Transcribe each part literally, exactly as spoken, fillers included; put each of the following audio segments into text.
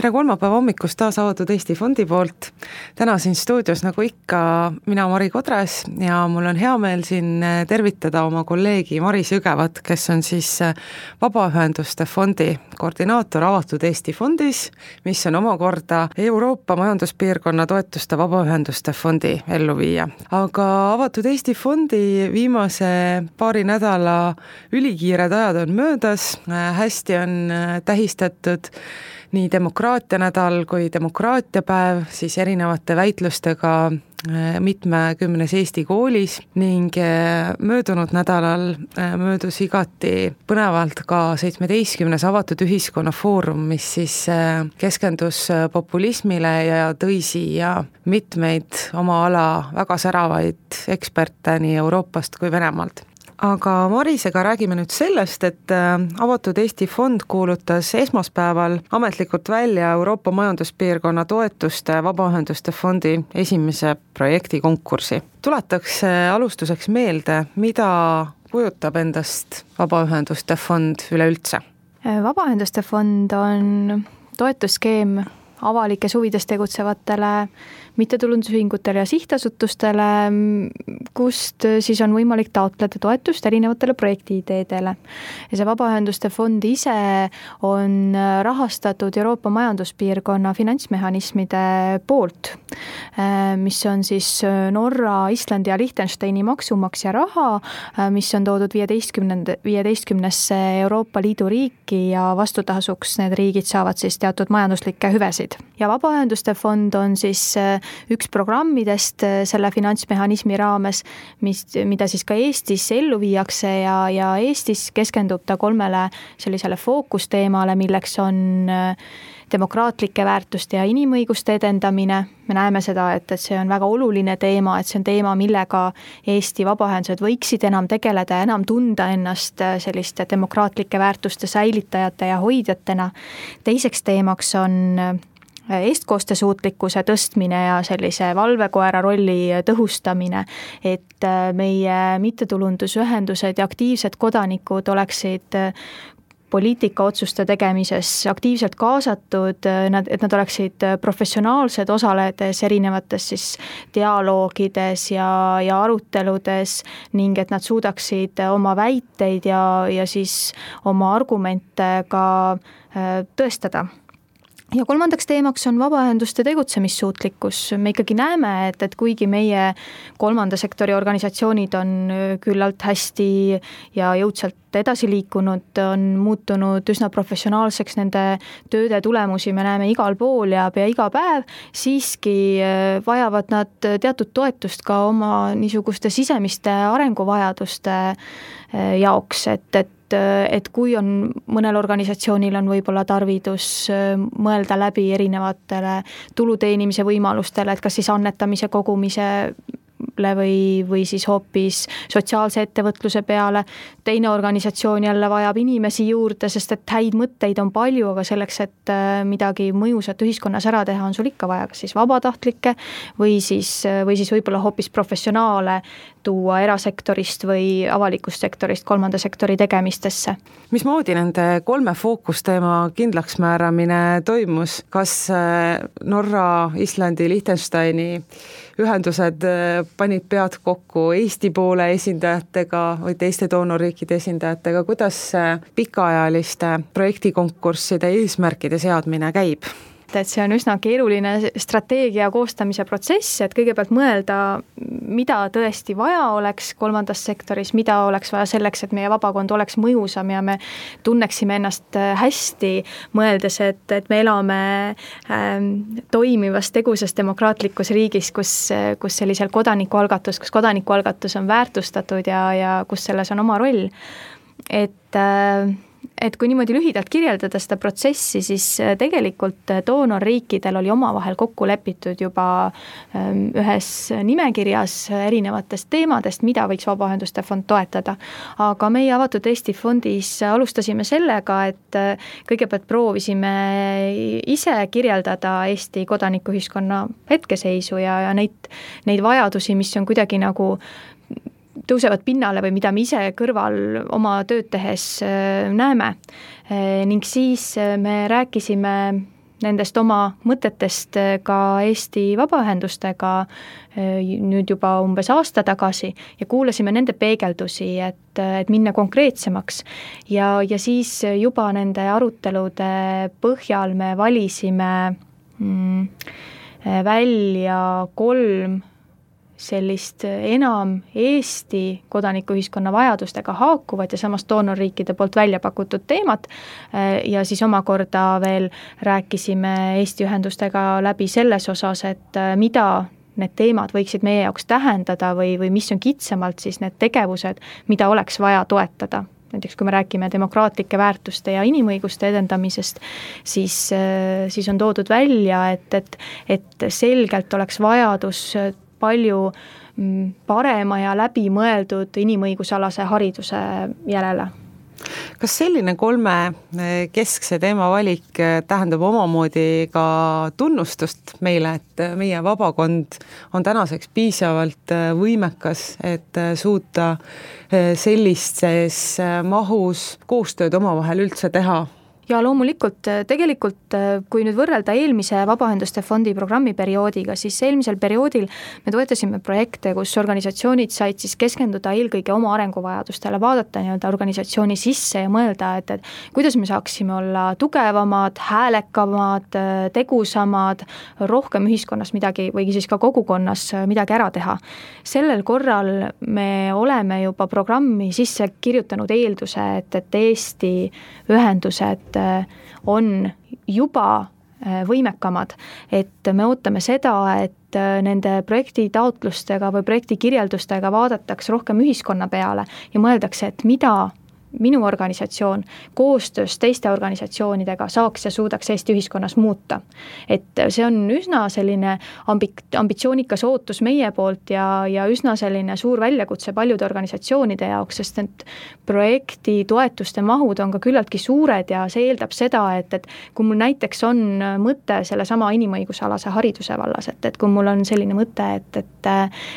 tere kolmapäeva hommikust taas Avatud Eesti Fondi poolt. Täna siin stuudios nagu ikka mina Mari Kodres ja mul on hea meel siin tervitada oma kolleegi Maris Jõgevat, kes on siis Vabaühenduste Fondi koordinaator Avatud Eesti Fondis, mis on omakorda Euroopa Majanduspiirkonna toetuste Vabaühenduste Fondi elluviija. Aga Avatud Eesti Fondi viimase paari nädala ülikiired ajad on möödas, hästi on tähistatud nii demokraatia nädal kui demokraatia päev, siis erinevate väitlustega mitmekümnes Eesti koolis ning möödunud nädalal möödus igati põnevalt ka seitsmeteistkümnes avatud ühiskonna foorum, mis siis keskendus populismile ja tõi siia mitmeid oma ala väga säravaid eksperte nii Euroopast kui Venemaalt. Aga Marisega räägime nüüd sellest, et Avatud Eesti Fond kuulutas esmaspäeval ametlikult välja Euroopa Majanduspiirkonna toetuste Vabaühenduste Fondi esimese projekti konkursi. Tuletaks alustuseks meelde, mida kujutab endast Vabaühenduste Fond üleüldse? Vabaühenduste Fond on toetusskeem avalikes huvides tegutsevatele mittetulundusühingutele ja sihtasutustele, kust siis on võimalik taotleda toetust erinevatele projektiideedele. Ja see Vabaühenduste Fond ise on rahastatud Euroopa Majanduspiirkonna finantsmehhanismide poolt, mis on siis Norra, Islandi ja Liechtensteini maksumaksja raha, mis on toodud viieteistkümnesse Euroopa Liidu riiki ja vastutasuks need riigid saavad siis teatud majanduslikke hüvesid. Ja Vabaühenduste Fond on siis üks programmidest selle finantsmehhanismi raames, mis, mida siis ka Eestis ellu viiakse ja, ja Eestis keskendub ta kolmele sellisele fookusteemale, milleks on demokraatlike väärtuste ja inimõiguste edendamine. Me näeme seda, et, et see on väga oluline teema, et see on teema, millega Eesti vabaühendused võiksid enam tegeleda ja enam tunda ennast selliste demokraatlike väärtuste säilitajate ja hoidjatena. Teiseks teemaks on eestkostesuutlikkuse tõstmine ja sellise valvekoera rolli tõhustamine, et meie mittetulundusühendused ja aktiivsed kodanikud oleksid poliitikaotsuste tegemises aktiivselt kaasatud, et nad oleksid professionaalsed osaledes erinevates siis dialoogides ja, ja aruteludes ning et nad suudaksid oma väiteid ja, ja siis oma argumente ka tõestada. Ja kolmandaks teemaks on vabaühenduste tegutsemissuutlikkus. Me ikkagi näeme, et, et kuigi meie kolmanda sektori organisatsioonid on küllalt hästi ja jõudsalt edasi liikunud, on muutunud üsna professionaalseks, nende tööde tulemusi me näeme igal pool ja pea iga päev, siiski vajavad nad teatud toetust ka oma niisuguste sisemiste arenguvajaduste jaoks, et, et et kui on mõnel organisatsioonil on võib-olla tarvidus mõelda läbi erinevatele tuluteenimise võimalustele, et kas siis annetamise kogumise või, või siis hoopis sotsiaalse ettevõtluse peale. Teine organisatsioon jälle vajab inimesi juurde, sest et häid mõtteid on palju, aga selleks, et midagi mõjusat ühiskonnas ära teha, on sul ikka vaja kas siis vabatahtlikke või siis, või siis võib-olla hoopis professionaale tuua erasektorist või avalikust sektorist kolmanda sektori tegemistesse. Mismoodi nende kolme fookusteema kindlaksmääramine toimus? Kas Norra, Islandi, Liechtensteini ühendused panid pead kokku Eesti poole esindajatega või teiste doonorriikide esindajatega? Kuidas pikaajaliste projektikonkursside eesmärkide seadmine käib? Et see on üsna keeruline strateegia koostamise protsess, et kõigepealt mõelda, mida tõesti vaja oleks kolmandas sektoris, mida oleks vaja selleks, et meie vabakond oleks mõjusam ja me tunneksime ennast hästi, mõeldes, et, et me elame ähm, toimivas tegusas demokraatlikus riigis, kus, kus sellisel kodanikualgatus, kus kodanikualgatus on väärtustatud ja, ja kus selles on oma roll. Et äh, Et kui niimoodi lühidalt kirjeldada seda protsessi, siis tegelikult doonorriikidel oli omavahel kokku lepitud juba ühes nimekirjas erinevatest teemadest, mida võiks Vabaühenduste Fond toetada. Aga meie Avatud Eesti Fondis alustasime sellega, et kõigepealt proovisime ise kirjeldada Eesti kodanikuühiskonna hetkeseisu ja, ja neid, neid vajadusi, mis on kuidagi nagu tõusevad pinnale või mida me ise kõrval oma tööd tehes näeme. Ning siis me rääkisime nendest oma mõtetest ka Eesti vabaühendustega nüüd juba umbes aasta tagasi ja kuulasime nende peegeldusi, et, et minna konkreetsemaks. Ja, ja siis juba nende arutelude põhjal me valisime mm, välja kolm sellist enam Eesti kodanikuühiskonna vajadustega haakuvad ja samas doonorriikide poolt välja pakutud teemat ja siis omakorda veel rääkisime Eesti ühendustega läbi selles osas, et mida need teemad võiksid meie jaoks tähendada või, või mis on kitsamalt siis need tegevused, mida oleks vaja toetada. Näiteks kui me räägime demokraatlike väärtuste ja inimõiguste edendamisest, siis, siis on toodud välja, et, et, et selgelt oleks vajadus palju parema ja läbimõeldud inimõigusalase hariduse järele. Kas selline kolme keskse teema valik tähendab omamoodi ka tunnustust meile, et meie vabakond on tänaseks piisavalt võimekas, et suuta sellises mahus koostööd omavahel üldse teha? Ja loomulikult, tegelikult kui nüüd võrrelda eelmise Vabaühenduste fondi programmi perioodiga, siis eelmisel perioodil me toetasime projekte, kus organisatsioonid said siis keskenduda eelkõige oma arenguvajadustele, vaadata nii-öelda organisatsiooni sisse ja mõelda, et, et kuidas me saaksime olla tugevamad, häälekamad, tegusamad, rohkem ühiskonnas midagi või siis ka kogukonnas midagi ära teha. Sellel korral me oleme juba programmi sisse kirjutanud eelduse, et, et Eesti ühendused on juba võimekamad, et me ootame seda, et nende projekti taotlustega või projekti kirjeldustega vaadatakse rohkem ühiskonna peale ja mõeldakse, et mida minu organisatsioon koostöös teiste organisatsioonidega saaks ja suudaks Eesti ühiskonnas muuta. Et see on üsna selline ambik, ambitsioonikas ootus meie poolt ja, ja üsna selline suur väljakutse paljude organisatsioonide jaoks, sest need projekti toetuste mahud on ka küllaltki suured ja see eeldab seda, et, et kui mul näiteks on mõte selle sama inimõigusalase hariduse vallas, et, et kui mul on selline mõte, et, et,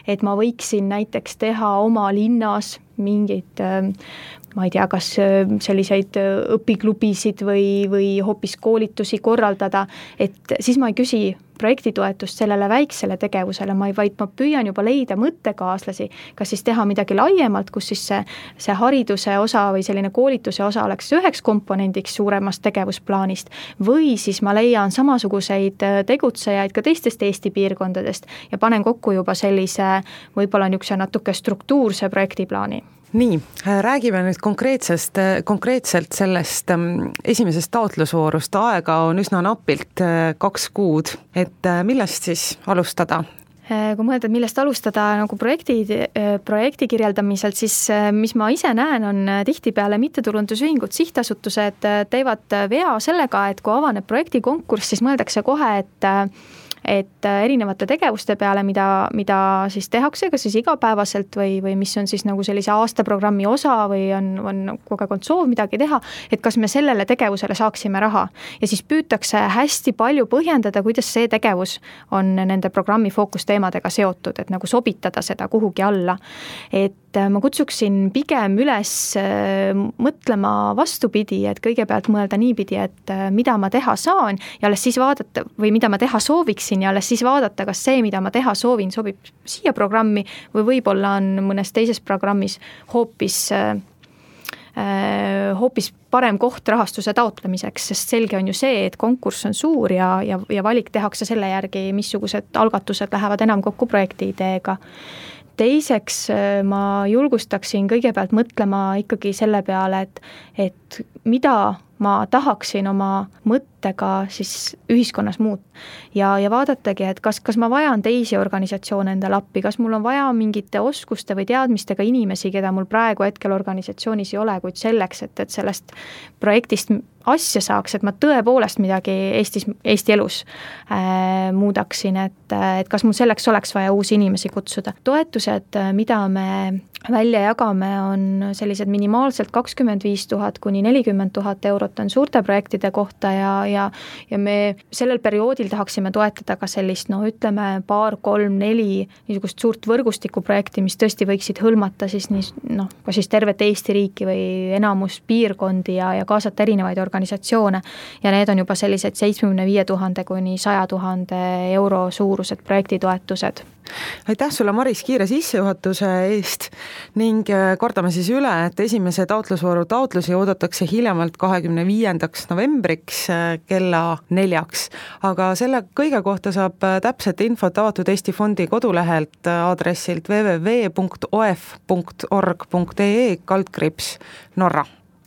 et ma võiksin näiteks teha oma linnas mingeid, ma ei tea, kas selliseid õpiklubisid või, või hoopis koolitusi korraldada, et siis ma ei küsi projektitoetust sellele väiksele tegevusele, ma ei, vaid ma püüan juba leida mõttekaaslasi, kas siis teha midagi laiemalt, kus siis see, see hariduse osa või selline koolituse osa oleks üheks komponendiks suuremast tegevusplaanist või siis ma leian samasuguseid tegutsejaid ka teistest Eesti piirkondadest ja panen kokku juba sellise võib-olla niisuguse natuke struktuurse projektiplaani. Nii, räägime nüüd konkreetsest, konkreetselt sellest esimesest taotlusvoorust. Aega on üsna napilt kaks kuud, et millest siis alustada? Kui mõelda, et millest alustada nagu projekti, projekti kirjeldamiselt, siis mis ma ise näen, on tihtipeale mittetulundusühingud, sihtasutused teevad vea sellega, et kui avaneb projektikonkurss, siis mõeldakse kohe, et et erinevate tegevuste peale, mida, mida siis tehakse, kas siis igapäevaselt või, või mis on siis nagu sellise aastaprogrammi osa või on, on kogu aeg soov midagi teha, et kas me sellele tegevusele saaksime raha. Ja siis püütakse hästi palju põhjendada, kuidas see tegevus on nende programmi fookusteemadega seotud, et nagu sobitada seda kuhugi alla. Et ma kutsuksin pigem üles mõtlema vastupidi, et kõigepealt mõelda niipidi, et mida ma teha saan ja alles siis vaadata või mida ma teha sooviksin ja alles siis vaadata, kas see, mida ma teha soovin, sobib siia programmi või võib-olla on mõnes teises programmis hoopis, äh, hoopis parem koht rahastuse taotlemiseks, sest selge on ju see, et konkurss on suur ja, ja, ja valik tehakse selle järgi, missugused algatused lähevad enam kokku projekti ideega. Teiseks ma julgustaksin kõigepealt mõtlema ikkagi selle peale, et, et mida ma tahaksin oma mõttega siis ühiskonnas muuta. Ja, ja vaadatagi, et kas, kas ma vajan teisi organisatsioone endale appi, kas mul on vaja mingite oskuste või teadmistega inimesi, keda mul praegu hetkel organisatsioonis ei ole, kuid selleks, et, et sellest projektist asja saaks, et ma tõepoolest midagi Eestis, Eesti elus äh, muudaksin, et, et kas mul selleks oleks vaja uusi inimesi kutsuda. Toetused, mida me välja jagame, on sellised minimaalselt kakskümmend viis tuhat kuni nelikümmend tuhat eurot on suurte projektide kohta ja, ja ja me sellel perioodil tahaksime toetada ka sellist, no ütleme, paar, kolm, neli niisugust suurt võrgustikuprojekti, mis tõesti võiksid hõlmata siis nii, noh, ka siis tervet Eesti riiki või enamus piirkondi ja, ja kaasata erinevaid organisatsioone. Ja need on juba sellised seitsmekümne viie tuhande kuni saja tuhande euro suurused projektitoetused. Aitäh sulle, Maris, kiire sissejuhatuse eest ning kordame siis üle, et esimese taotlusvooru taotlusi oodatakse hiljemalt kahekümne viiendaks novembriks kella neljaks. Aga selle kõige kohta saab täpset infot Avatud Eesti Fondi kodulehelt aadressilt w w w punkt o e f punkt org punkt e e kaldkriips Norra.